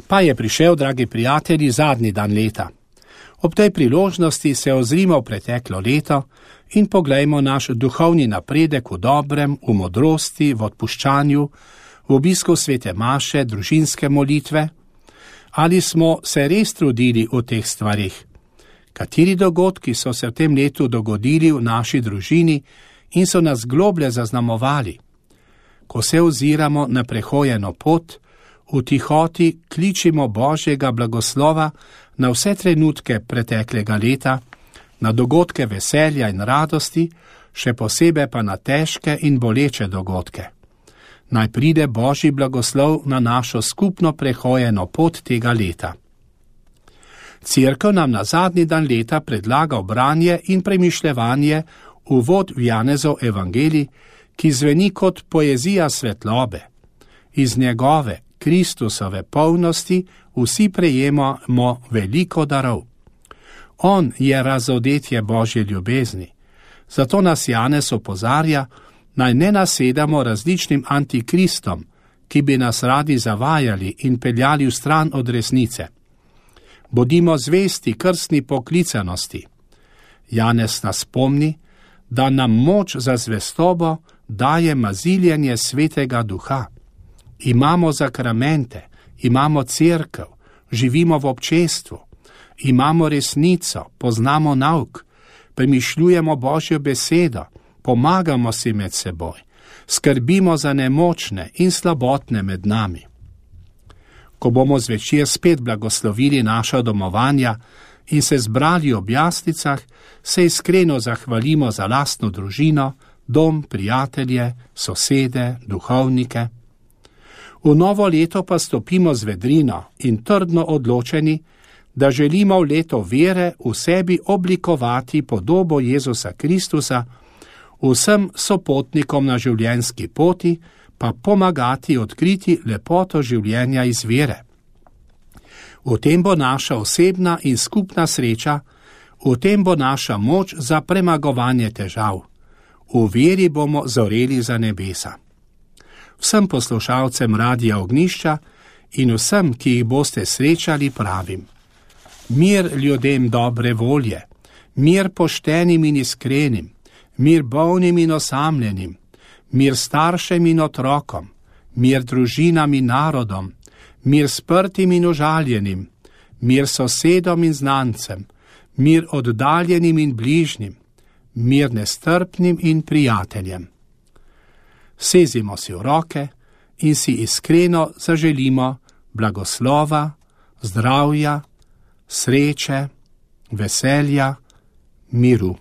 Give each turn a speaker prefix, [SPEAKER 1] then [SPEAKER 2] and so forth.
[SPEAKER 1] Pa je prišel, dragi prijatelji, zadnji dan leta. Ob tej priložnosti se ozrimo v preteklo leto in poglejmo naš duhovni napredek v dobrem, v modrosti, v odpuščanju, v obisku svete maše, družinske molitve. Ali smo se res trudili v teh stvarih? Kateri dogodki so se v tem letu dogodili v naši družini in so nas globlje zaznamovali? Ko se oziramo na prehojeno pot, v tihoti kličimo Božjega blagoslova na vse trenutke preteklega leta, na dogodke veselja in radosti, še posebej pa na težke in boleče dogodke. Naj pride Božji blagoslov na našo skupno prehojeno pot tega leta. Cerkev nam na zadnji dan leta predlaga branje in premišljevanje uvod v Janezov evangelij, ki zveni kot poezija svetlobe. Iz njegove, Kristusove polnosti vsi prejemamo veliko darov. On je razodetje Božje ljubezni. Zato nas Janez opozarja, naj ne nasedamo različnim antikristom, ki bi nas radi zavajali in peljali v stran od resnice. Bodimo zvesti krstni poklicanosti. Janez nas spomni, da nam moč za zvestobo daje maziljenje Svetega Duha. Imamo zakramente, imamo cerkev, živimo v občestvu, imamo resnico, poznamo nauk, premišljujemo Božjo besedo, pomagamo si med seboj, skrbimo za nemočne in slabotne med nami. Ko bomo zvečer spet blagoslovili naša domovanja in se zbrali ob jaslicah, se iskreno zahvalimo za lastno družino, dom, prijatelje, sosede, duhovnike. V novo leto pa stopimo z vedrino in trdno odločeni, da želimo v leto vere v sebi oblikovati podobo Jezusa Kristusa, vsem sopotnikom na življenjski poti pa pomagati odkriti lepoto življenja iz vere. V tem bo naša osebna in skupna sreča, v tem bo naša moč za premagovanje težav. V veri bomo zoreli za nebesa. Vsem poslušalcem Radia Ognjišča in vsem, ki jih boste srečali, pravim: mir ljudem dobre volje, mir poštenim in iskrenim, mir bolnim in osamljenim, mir staršem in otrokom, mir družinam in narodom, mir sprtim in užaljenim, mir sosedom in znancem, mir oddaljenim in bližnjim, mir nestrpnim in prijateljem. Sezimo si v roke in si iskreno zaželimo blagoslova, zdravja, sreče, veselja, miru.